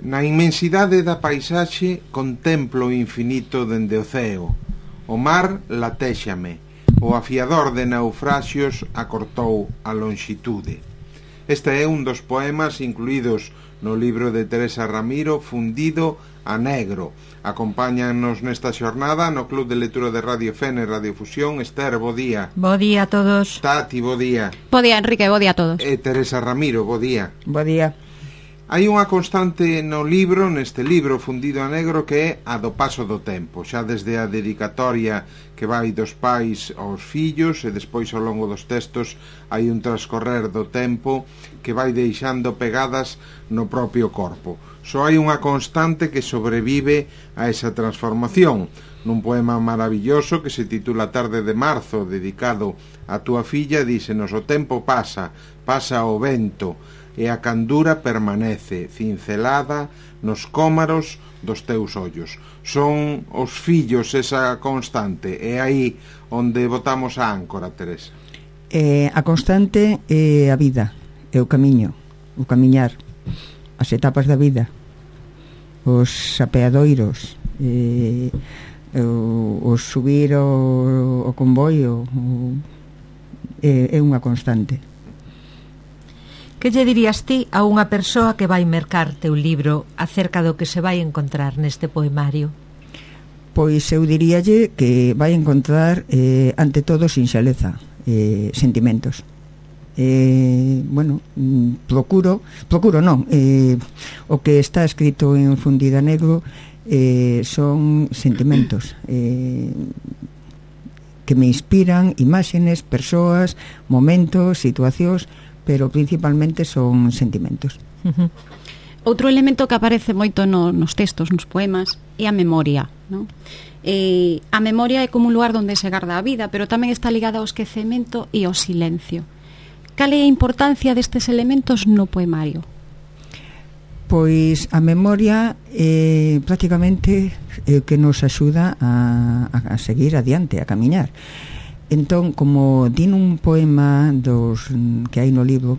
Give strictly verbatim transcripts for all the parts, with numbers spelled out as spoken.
Na inmensidade da paisaxe contemplo o infinito dende o ceo. O mar latéxame, o afiador de naufraxios acortou a lonxitude. Este é un dos poemas incluídos no libro de Teresa Ramiro, Fundido a Negro. Acompáñanos nesta xornada no Club de Lectura de Radio Fene Radio Fusión. Esther, bo día. Bo día a todos. Tati, bo día. Bo día, Enrique, bo día a todos. E Teresa Ramiro, bo día. Bo día. Hai unha constante no libro, neste libro Fundido a Negro, que é a do paso do tempo, xa desde a dedicatoria que vai dos pais aos fillos, e despois ao longo dos textos hai un transcorrer do tempo que vai deixando pegadas no propio corpo. Só hai unha constante que sobrevive a esa transformación, nun poema maravilloso que se titula Tarde de Marzo, dedicado a túa filla. Dísenos: o tempo pasa, pasa o vento, e a candura permanece cincelada nos cómaros dos teus ollos. Son os fillos esa constante, é aí onde botamos a áncora, Teresa. Eh, a constante é a vida, é o camiño, o camiñar, as etapas da vida, os apeadoiros, eh, o, o subir o, o convoio, o, é, é unha constante. Que lle dirías ti a unha persoa que vai mercar teu libro acerca do que se vai encontrar neste poemario? Pois eu diríalle que vai encontrar eh, ante todo sinxeleza, eh, sentimentos. Eh, bueno, procuro, procuro non, eh, o que está escrito en Fundido a Negro eh, son sentimentos eh, que me inspiran, imágenes, persoas, momentos, situacións, pero principalmente son sentimentos. Uh-huh. Outro elemento que aparece moito no, nos textos, nos poemas, é a memoria, non? Eh, a memoria é como un lugar onde se garda a vida, pero tamén está ligada ao esquecemento e ao silencio. Cal é a importancia destes elementos no poemario? Pois a memoria é prácticamente é o que nos axuda a, a seguir adiante, a camiñar. Entón, como din un poema dos que hai no libro,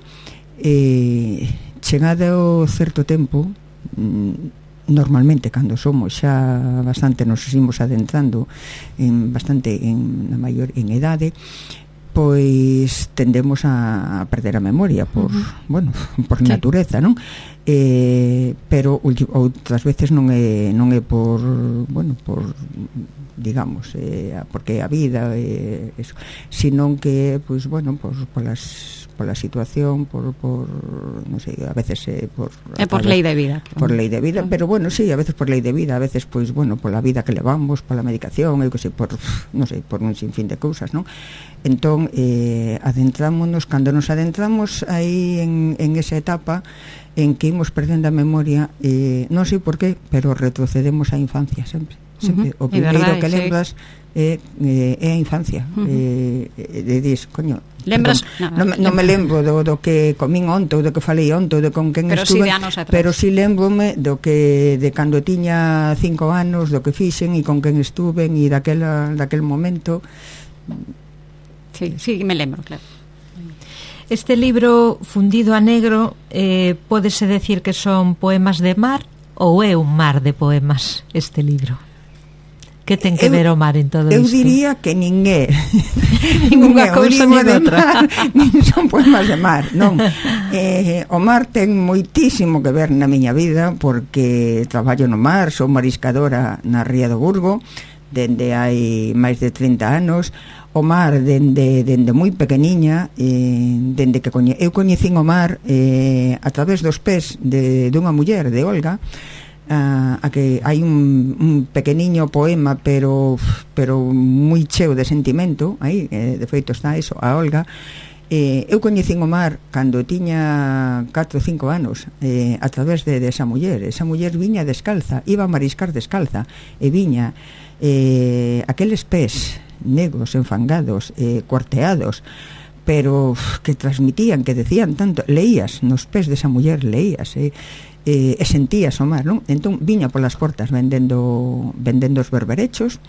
eh, chegado certo tempo, normalmente cando somos xa bastante, nos imos adentrando en bastante en, na maior en edade, pois tendemos a perder a memoria por, uh-huh. bueno, por sí. natureza, non? Eh, pero outras veces non é non é por, bueno, por digamos, eh, porque a vida eh, eso, sino que pois bueno, por polas pola situación, por por non sei, a veces eh, por é por lei de vida. Por lei de vida, pero bueno, sí, a veces por lei de vida, a veces pois bueno, pola vida que levamos, pola medicación, eu que sei, por non sei, por un sinfín de cousas, non? Entón, eh, adentrámonos, cando nos adentramos aí en, en esa etapa en que imos perdendo a memoria, eh, non sei por qué, pero retrocedemos á infancia sempre. Sempre. Uh-huh. O primeiro verdade, que lembras sí. é, é, é a infancia. Uh-huh. eh, e dis, coño, lembras? Non, no, non me lembro do, do que comín onte, ou do que falei onte, ou de con quen pero estuve, sí pero si sí lembrome do que de cando tiña cinco anos, do que fixen e con quen estuve e daquela, daquel momento. Sí, sí, me lembro, claro. Este libro Fundido a Negro, eh, pódese decir que son poemas de mar ou é un mar de poemas este libro? Que ten que eu, ver o mar en todo eu isto? Eu diría que nin é ninguna cousa nin outra mar, nin son poemas de mar, non. eh, o mar ten moitísimo que ver na miña vida, porque traballo no mar, sou mariscadora na Ría do Burgo dende hai máis de trinta anos. O mar dende, dende moi pequeniña, eh, dende que coñe, eu coñecín o mar eh, a través dos pés de, dunha muller, de Olga, a, a que hai un, un pequeniño poema pero pero moi cheo de sentimento aí, eh, de feito está eso, a Olga. eh, eu coñecín o mar cando tiña catro ou cinco anos, eh, a través de, de esa muller. Esa muller viña descalza, iba a mariscar descalza, e viña eh, aqueles pés negros, enfangados, eh, cuarteados, pero que transmitían, que decían tanto, leías nos pés desa muller, leías, eh, eh, e sentías o mar, non? Entón viña polas portas vendendo vendendo os berberechos,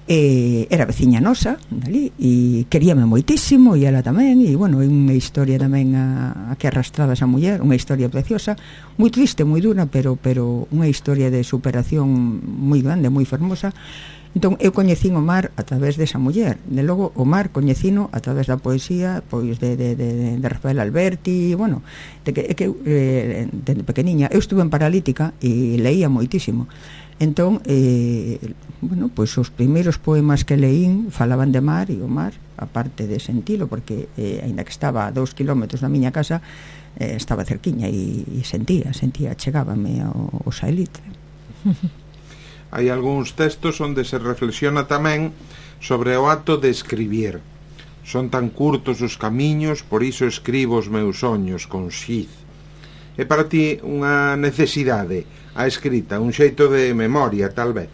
e era veciña nosa dali, e queríame moitísimo e ela tamén, e bueno, é unha historia tamén a, a que arrastraba esa muller, unha historia preciosa, moi triste, moi dura, pero pero unha historia de superación moi grande, moi fermosa. Entón eu coñecín o mar a través desa muller, de logo o mar coñecino a través da poesía, pois de, de, de, de Rafael Alberti, bueno, de que, que eh, de pequeniña eu estuve en paralítica e leía moitísimo. Entón, eh, bueno, pois os primeiros poemas que leín falaban de mar, e o mar, aparte de sentilo, porque eh, aínda que estaba a dous kilómetros da miña casa, eh, estaba cerquiña e, e sentía, sentía, chegábame ao, ao saelitre. Hai algúns textos onde se reflexiona tamén sobre o acto de escribir. Son tan curtos os camiños, por iso escribo os meus soños con xiz. É para ti unha necesidade a escrita, un xeito de memoria, tal vez?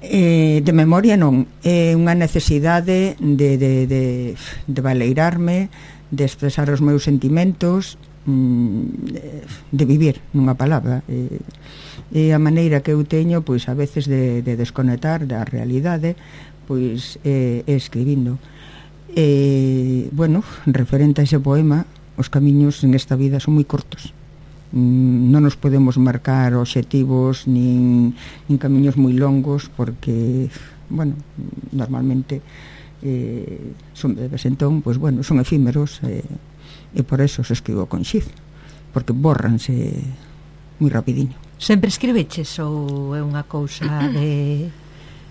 Eh, de memoria non, é unha necesidade de, de, de, de valeirarme, de expresar os meus sentimentos, de vivir, nunha palabra. E, e a maneira que eu teño, pois a veces de, de desconectar da realidade, pois é, é escribindo. E, bueno, referente a ese poema, os camiños en esta vida son moi cortos. Non nos podemos marcar obxectivos nin, nin camiños moi longos, porque, bueno, normalmente eh, son breves, entón, pois, bueno, son efímeros, eh, e por eso se escribo con xiz, porque bórranse moi rapidiño. Sempre escribeches ou é unha cousa de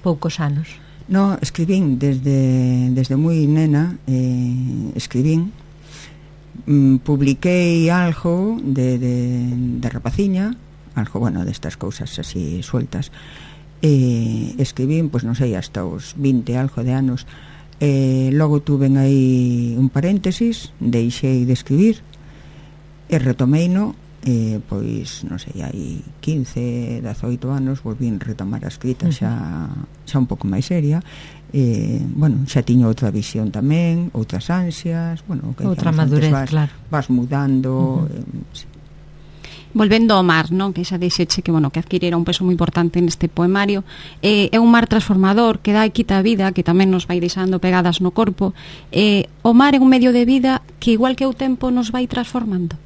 poucos anos? No, escribín desde, desde moi nena, eh, escribín, mm, publiquei algo de, de, de rapaciña, algo, bueno, destas cousas así sueltas, e escribín, pois non sei, hasta os vinte algo de anos. Eh, logo tuven aí un paréntesis, deixei de escribir e retomeino, eh, pois non sei, hai quince, dezoito anos volvín retomar a escrita xa, xa un pouco máis seria. Eh, bueno, xa tiño outra visión tamén, outras ansias, bueno, que outra madurez, vas, claro, vas mudando. Uh-huh. eh, sí. Volvendo ao mar, non? Que xa deixeche que, bueno, que adquirira un peso moi importante neste poemario, eh, é un mar transformador que dá e quita a vida, que tamén nos vai deixando pegadas no corpo. Eh, o mar é un medio de vida que, igual que o tempo, nos vai transformando.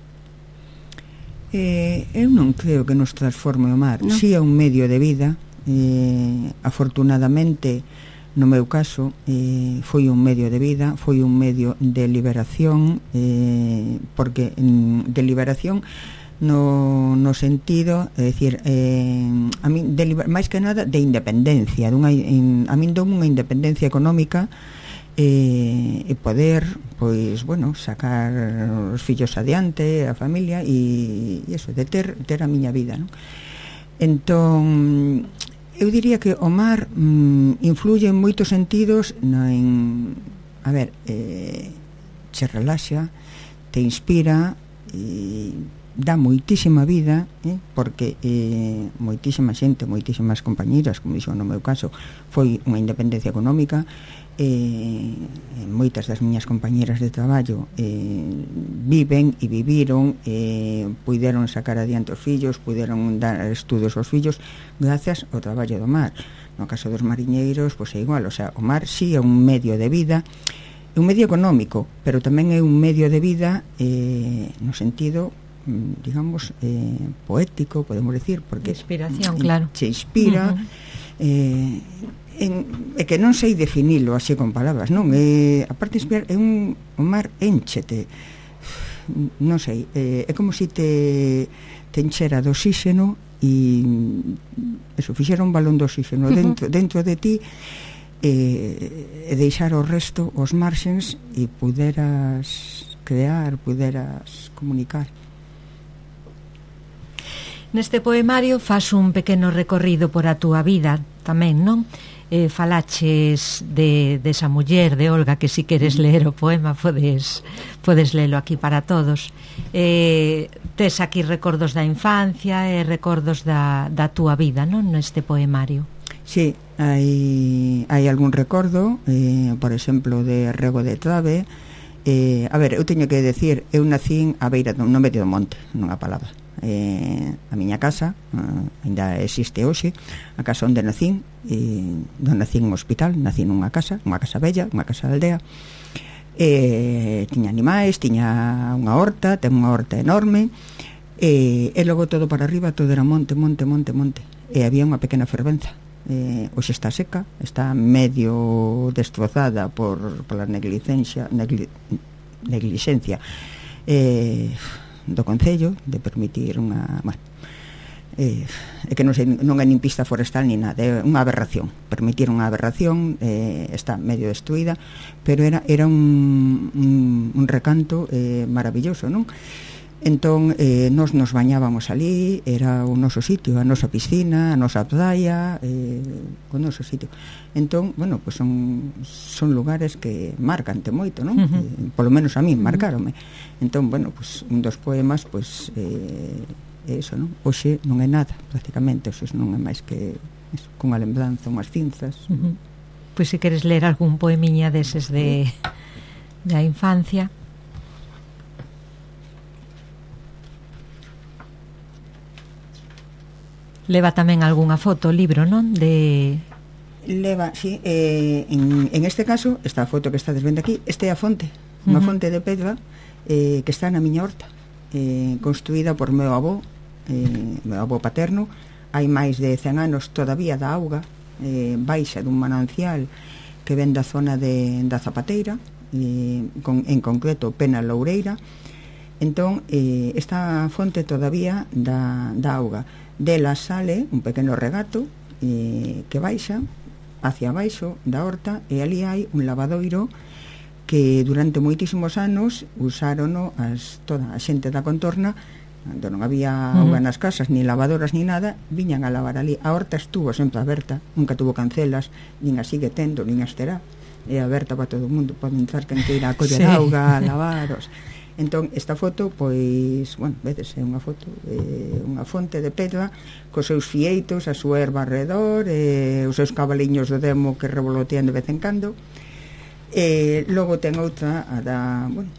Eh, eu non creo que nos transforme o mar, no. Si é un medio de vida. Eh, afortunadamente, no meu caso, eh, foi un medio de vida, foi un medio de liberación, eh, porque mm, de liberación no, no sentido, é dicir, eh, a min, de, máis que nada de independencia, dunha, in, a min dou unha independencia económica, eh, e poder, pois, bueno, sacar os fillos adiante, a familia, e, e eso, de ter, ter a miña vida, non? Entón, eu diría que o mar mm, influye en moitos sentidos, no, en, a ver, eh, che relaxa, te inspira, e dá moitísima vida, eh, porque eh, moitísima xente, moitísimas compañeiras, como dixo no meu caso, foi unha independencia económica. Eh, moitas das miñas compañeras de traballo eh, viven e viviron, eh, puideron sacar adiante os fillos, puideron dar estudos aos fillos gracias ao traballo do mar. No caso dos mariñeiros, pois é igual, o sea, o mar si é un medio de vida, é un medio económico, pero tamén é un medio de vida eh, no sentido, digamos, eh, poético, podemos decir, porque inspiración, claro, se inspira. Uh-huh. eh, en, é que non sei definilo así con palabras, non? É, aparte de inspirar, é un, o mar énchete, non sei, é, é como se si te, te enchera de oxígeno e eso, fixera un balón de oxígeno uh-huh. dentro, dentro de ti, e, e deixar o resto, os marxens, e puderas crear, puderas comunicar. Neste poemario faz un pequeno recorrido por a túa vida tamén, non? Eh, falaches de, de esa muller, de Olga, que si queres ler o poema podes, podes lelo aquí para todos. Eh, tes aquí recordos da infancia e recordos da, da túa vida, non? Neste poemario. Sí, hai, hai algún recordo, eh, por exemplo, de Rego de Trave. Eh, a ver, eu teño que decir, eu nacín a beira do, no medio do monte, nunha palabra. eh, a miña casa, uh, ainda existe hoxe, a casa onde nacín, e non nacín en un hospital, nacín nunha casa, unha casa bella, unha casa de aldea, e tiña animais, tiña unha horta, ten unha horta enorme, e, e logo todo para arriba, todo era monte, monte, monte, monte, e había unha pequena fervenza. Eh, hoxe está seca, está medio destrozada por, por la negligencia negli, negligencia eh, do Concello de permitir unha bueno, eh, é que non, sei, non é nin pista forestal ni nada, é unha aberración, permitir unha aberración, eh, está medio destruída, pero era, era un, un, un recanto eh, maravilloso, non? Entón, eh, nos nos bañábamos ali, era o noso sitio, a nosa piscina, a nosa praia, eh, o noso sitio. Entón, bueno, pues son, son lugares que marcante moito, non? Uh -huh. eh, polo menos a mí, marcaronme. Entón, bueno, pues un dos poemas, pues, eh, é eso, non? Hoxe non é nada, prácticamente, hoxe non é máis que eso, cunha lembranza, unhas cinzas. Uh -huh. Pois se queres ler algún poemiña deses de da infancia. Leva tamén algunha foto, libro, non? De... Leva, sí, eh, en, en este caso, esta foto que estades vendo aquí, este é a fonte, unha uh -huh. fonte de pedra eh, que está na miña horta, eh, construída por meu avó, eh, meu avó paterno, hai máis de cen anos todavía da auga, eh, baixa dun manancial que ven da zona de, da Zapateira, eh, con, en concreto Pena Loureira. Entón, eh, esta fonte todavía da, da auga. Dela sale un pequeno regato eh, que baixa hacia baixo da horta, e ali hai un lavadoiro que durante moitísimos anos usárono as, toda a xente da contorna, onde non había auga nas casas, ni lavadoras ni nada, viñan a lavar ali. A horta estuvo sempre aberta, nunca tuvo cancelas, nin a sigue tendo, nin as terá, é aberta para todo o mundo, pode entrar quen queira a coller sí. auga, a lavaros. Entón, esta foto, pois, bueno, vedes, é unha foto, eh, unha fonte de pedra, cos seus fieitos, a súa erva alrededor, eh, os seus cabaliños do demo que revolotean de vez en cando. E logo ten outra, a da, bueno,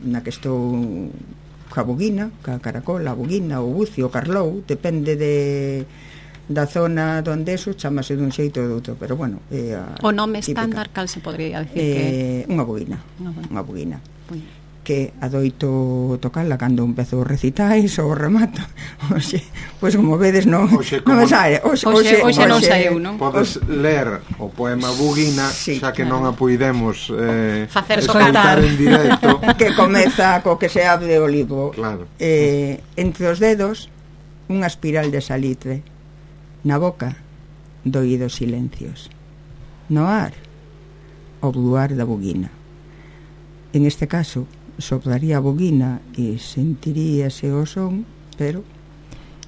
na que estou ca buguina, ca caracola, a buguina, o bucio, o carlou, depende de da zona donde eso, chamase dun xeito ou doutro, pero bueno, é a o nome típica. Estándar, cal se podría decir eh, que... Unha buguina, unha buguina. Que adoito tocarla cando empezo recitais ou remato. Oxe, pois como vedes non non me sae. Oxe, oxe, oxe non saeu, non? Podes ler o poema Buguina, sí, xa que claro. non a puidemos eh, facer escoitar en directo. Que comeza co que se abre o libro. Claro. Eh, entre os dedos unha espiral de salitre, na boca doídos silencios, no ar o bluar da buguina. En este caso soplaría a buguina e sentiríase o son, pero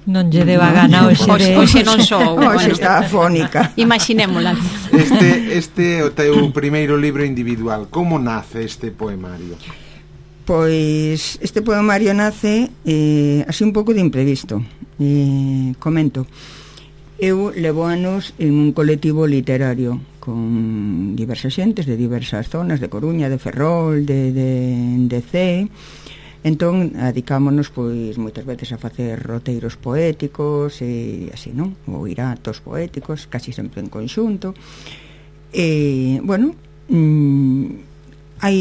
non lle deba gana hoxe de... Hoxe non sou. Hoxe está afónica. Imaginémola. Este, este é o teu primeiro libro individual. Como nace este poemario? Pois este poemario nace eh, así un pouco de imprevisto. Eh, comento. Eu levo anos en un colectivo literario con diversas xentes de diversas zonas, de Coruña, de Ferrol, de, de, de Cee. Entón, adicámonos pois moitas veces a facer roteiros poéticos e así, non? Ou iratos poéticos, casi sempre en conxunto. E, bueno, mmm, hai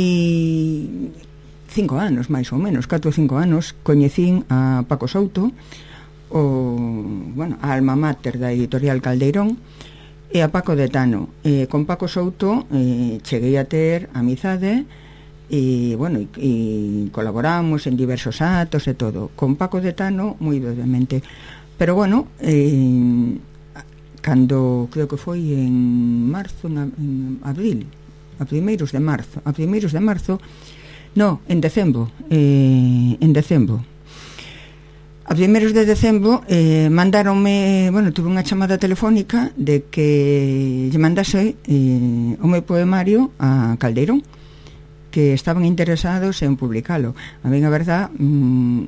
cinco anos, máis ou menos, catro ou cinco anos, coñecín a Paco Souto, o, bueno, a alma mater da editorial Caldeirón, e a Paco de Tano. Eh, con Paco Souto eh, cheguei a ter amizade e, bueno, e, e colaboramos en diversos actos e todo. Con Paco de Tano moi brevemente, pero bueno, eh, cando creo que foi en marzo, na, en abril, a primeiros de marzo, a primeiros de marzo, no, en decembro, eh, en decembro. A primeiros de decembro eh, mandaronme, bueno, tuve unha chamada telefónica de que lle mandase eh, o meu poemario a Caldeirón, que estaban interesados en publicalo. A mí, a verdad, mmm,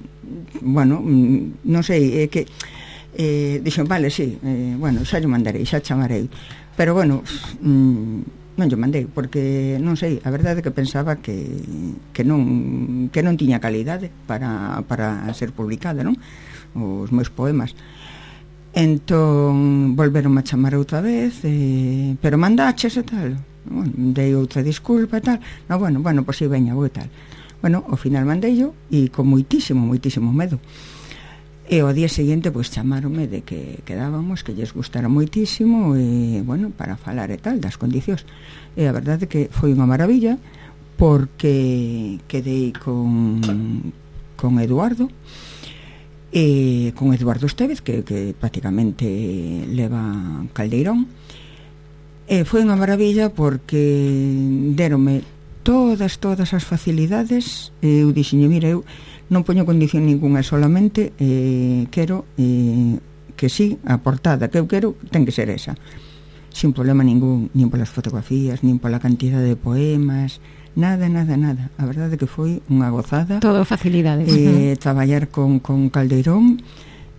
bueno, mmm, non sei, é que eh, dixen, vale, sí, eh, bueno, xa lle mandarei, xa chamarei, pero bueno, mmm, non lle mandei, porque non sei, a verdade é que pensaba que, que non que non tiña calidade para, para ser publicada, non? os meus poemas. Entón volveron a chamar outra vez, eh, pero mandaches e tal. Bueno, dei outra disculpa e tal. No, bueno, bueno, pois si veña, vou e tal. Bueno, ao final mandei yo e con moitísimo, moitísimo medo. E ao día seguinte pois chamaronme de que quedábamos, que lles gustara moitísimo e, bueno, para falar e tal das condicións. E a verdade é que foi unha maravilla porque quedei con con Eduardo e con Eduardo Estévez que, que prácticamente leva Caldeirón, e foi unha maravilla porque deronme todas, todas as facilidades. Eu dixenlle, mira, eu non poño condición ninguna, solamente eh, quero eh, que sí, a portada que eu quero ten que ser esa, sin problema ningún, nin polas fotografías, nin pola cantidad de poemas, nada, nada, nada. A verdade é que foi unha gozada. Todo facilidades. Eh, traballar con, con Caldeirón.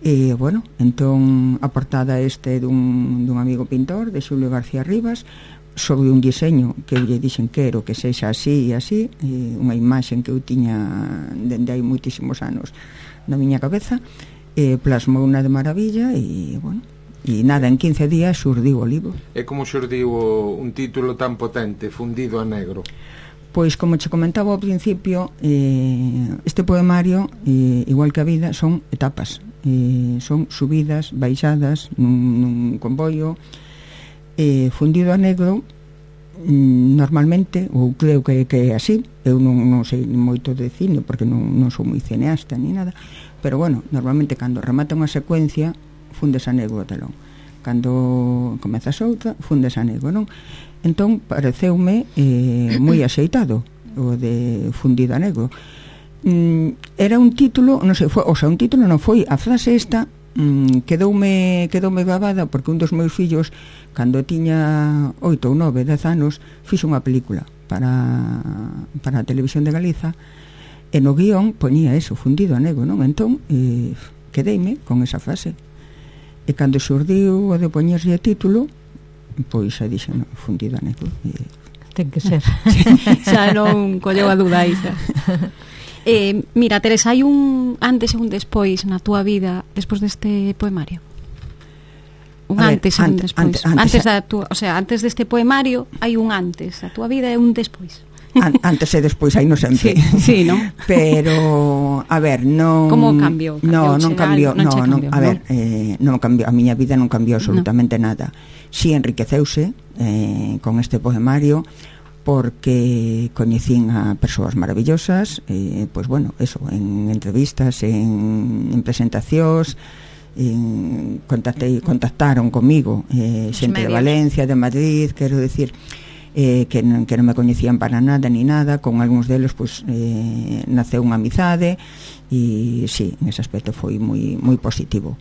E, bueno, entón a portada este dun, dun amigo pintor, de Xulio García Rivas, sobre un diseño que eu lle dixen quero que sexa así e así, e unha imaxen que eu tiña dende hai moitísimos anos na miña cabeza, e plasmou unha de maravilla e, bueno, e nada, en quince días xurdiu o libro. E como xurdiu un título tan potente, Fundido a Negro? Pois, como che comentaba ao principio, eh, este poemario, eh, igual que a vida, son etapas, eh, son subidas, baixadas nun, nun comboio. eh, Fundido a Negro, mm, normalmente, ou creo que, que é así, eu non, non sei moito de cine porque non, non sou moi cineasta ni nada, pero bueno, normalmente cando remata unha secuencia fundes a negro o telón, cando comezas outra fundes a negro, non? Entón pareceume eh, moi axeitado o de Fundido a Negro. mm, Era un título, non sei, foi, o sea, un título non foi, a frase esta mm, quedoume, quedoume gravada porque un dos meus fillos, cando tiña oito ou nove, dez anos, fixo unha película para, para a Televisión de Galiza, e no guión ponía eso, Fundido a Negro, non? Entón eh, quedeime con esa frase, e cando xurdiu o de poñerlle título, pois xa dixen, no, Fundido a Negro. E... ten que ser. Xa non colleu a duda aí xa. Eh, mira, Teresa, hai un antes e un despois na túa vida despois deste poemario? Un ver, antes e un ante, despois. Ante, antes, antes da túa, o sea, antes deste poemario hai un antes a túa vida e un despois. An, antes e despois hai no sempre. Sí, sí, ¿no? Pero a ver, non como cambiou? No, non cambiou, non, no, cambiou, non, a ver, eh, non cambiou, a miña vida non cambiou absolutamente no. nada. Si enriqueceuse eh, con este poemario porque coñecín a persoas maravillosas, eh, pois bueno, eso, en entrevistas, en, en presentacións, en, contactei, contactaron comigo eh, xente de Valencia, de Madrid, quero decir, eh, que, non, que non me coñecían para nada ni nada, con algúns deles pois eh, naceu unha amizade e sí, en ese aspecto foi moi moi positivo.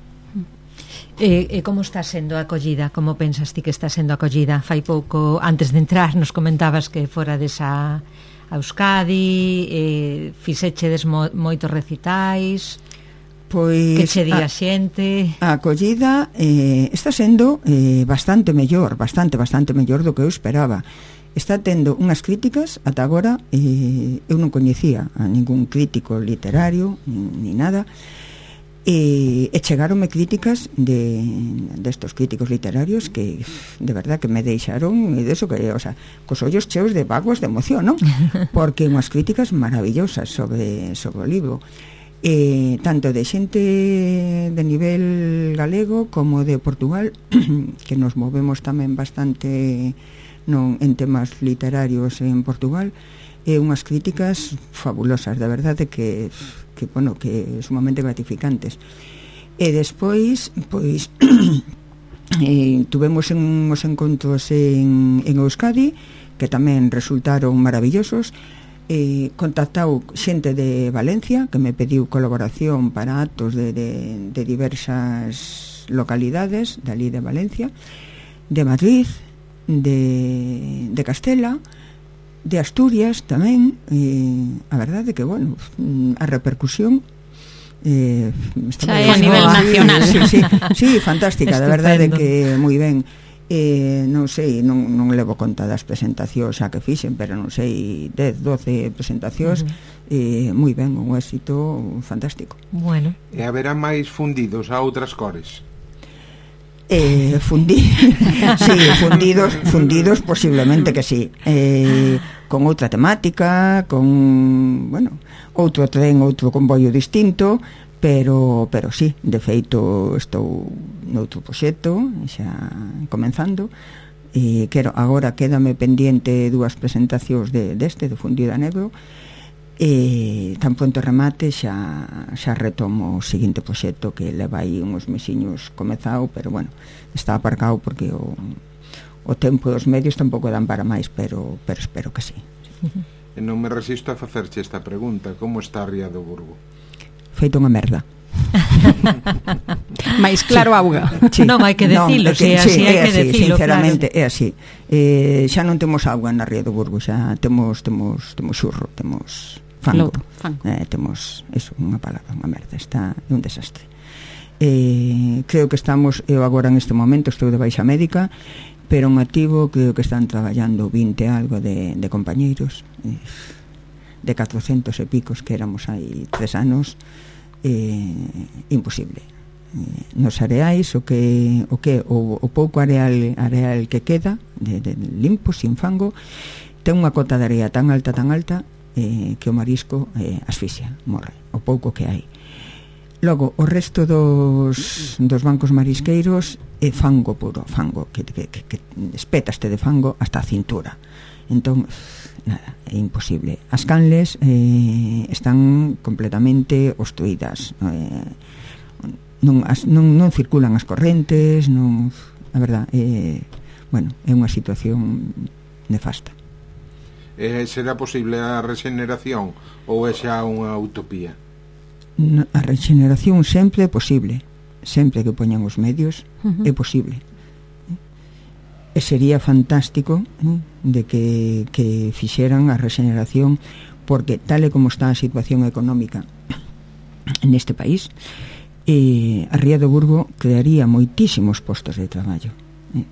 E, e como está sendo a acollida? Como pensas ti que está sendo a acollida? Fai pouco, antes de entrar, nos comentabas que fora desa a Euskadi, eh, fixechedes mo, moitos recitais, pois que che di a xente? A acollida eh, está sendo eh, bastante mellor, bastante, bastante mellor do que eu esperaba. Está tendo unhas críticas, ata agora eh, eu non coñecía a ningún crítico literario ni, ni nada, e, e chegaronme críticas de destos críticos literarios que de verdad que me deixaron e deso que, o sea, cos ollos cheos de vaguas de emoción, non? Porque unhas críticas maravillosas sobre, sobre o libro, e tanto de xente de nivel galego como de Portugal, que nos movemos tamén bastante non en temas literarios en Portugal, e unhas críticas fabulosas, de verdade que que, bueno, que sumamente gratificantes. E despois, pois eh, tuvemos uns encontros en, en Euskadi que tamén resultaron maravillosos. Eh, contactau xente de Valencia que me pediu colaboración para actos de, de, de diversas localidades dali de Valencia, de Madrid, de, de Castela, de Asturias tamén. Eh, a verdade que, bueno, a repercusión eh, está a nivel nacional. Sí, sí, sí, fantástica, de verdade que moi ben. eh, non sei, non, non levo conta das presentacións xa que fixen, pero non sei, dez, doce presentacións, uh-huh. eh, moi ben, un éxito fantástico. Bueno. E haberá máis fundidos a outras cores? Eh, fundidos, sí, fundidos, fundidos posiblemente que sí, eh, con outra temática, con, bueno, outro tren, outro convoio distinto, pero pero sí, de feito estou noutro proxecto xa comenzando e quero, agora quédame pendiente dúas presentacións de, deste, do Fundido a Negro, e tan pronto remate xa, xa retomo o seguinte proxecto que leva aí uns mesiños comezado, pero bueno, está aparcado porque o, o tempo e os medios tampouco dan para máis, pero, pero espero que sí. E non me resisto a facerche esta pregunta: como está Ría do Burgo? Feito unha merda. Mais claro, auga. Sí. Non hai que decilo, no, se é así, hai que así, decilo, sinceramente, claro. É así. Eh, xa non temos auga na Ría do Burgo, xa temos temos temos xurro, temos fango. Lodo, fango. Eh, temos eso, unha palabra, unha merda, está un desastre. Eh, creo que estamos, eu agora en este momento estou de baixa médica, pero en activo creo que están traballando vinte algo de, de compañeiros, eh, de catrocentos e picos que éramos hai tres anos. Eh, imposible, eh, nos areais o que o que o, o pouco areal areal que queda de, de limpo, sin fango, ten unha cota de area tan alta tan alta eh, que o marisco eh, asfixia, morre o pouco que hai. Logo o resto dos, dos bancos marisqueiros é fango puro, fango que, que, que, que espétaste de fango hasta a cintura. Entón, nada, é imposible. As canles eh, están completamente obstruídas, eh, non, as, non, non circulan as correntes, non, a verdad, eh, bueno, é unha situación nefasta. Eh, será posible a regeneración ou é xa unha utopía? A regeneración sempre é posible, sempre que poñan os medios, uh-huh. é posible. E sería fantástico, eh, de que, que fixeran a regeneración, porque tal e como está a situación económica neste país, eh, a Ría do Burgo crearía moitísimos postos de traballo, eh.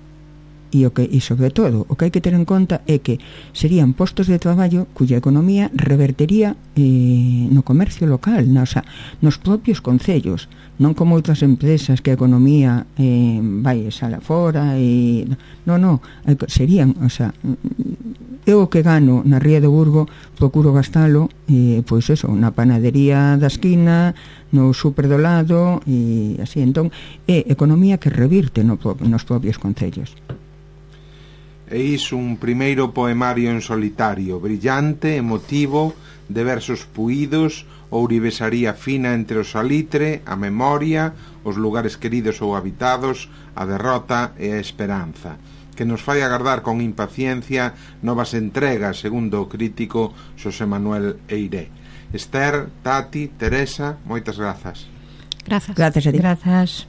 E, o que, e sobre todo o que hai que ter en conta é que serían postos de traballo cuya economía revertería eh, no comercio local, na, o sea, nos propios concellos, non como outras empresas que a economía eh, vai sala fora e non, non, serían, o sea, eu o que gano na Ría do Burgo procuro gastalo, eh, pois eso, na panadería da esquina, no súper do lado e así, entón é economía que revirte no, nos propios concellos. Eis un primeiro poemario en solitario, brillante, emotivo, de versos puídos, ourivesaría fina entre o salitre, a memoria, os lugares queridos ou habitados, a derrota e a esperanza, que nos fai agardar con impaciencia novas entregas, segundo o crítico Xosé Manuel Eiré. Esther, Tati, Teresa, moitas grazas. Grazas. Grazas a ti. Grazas.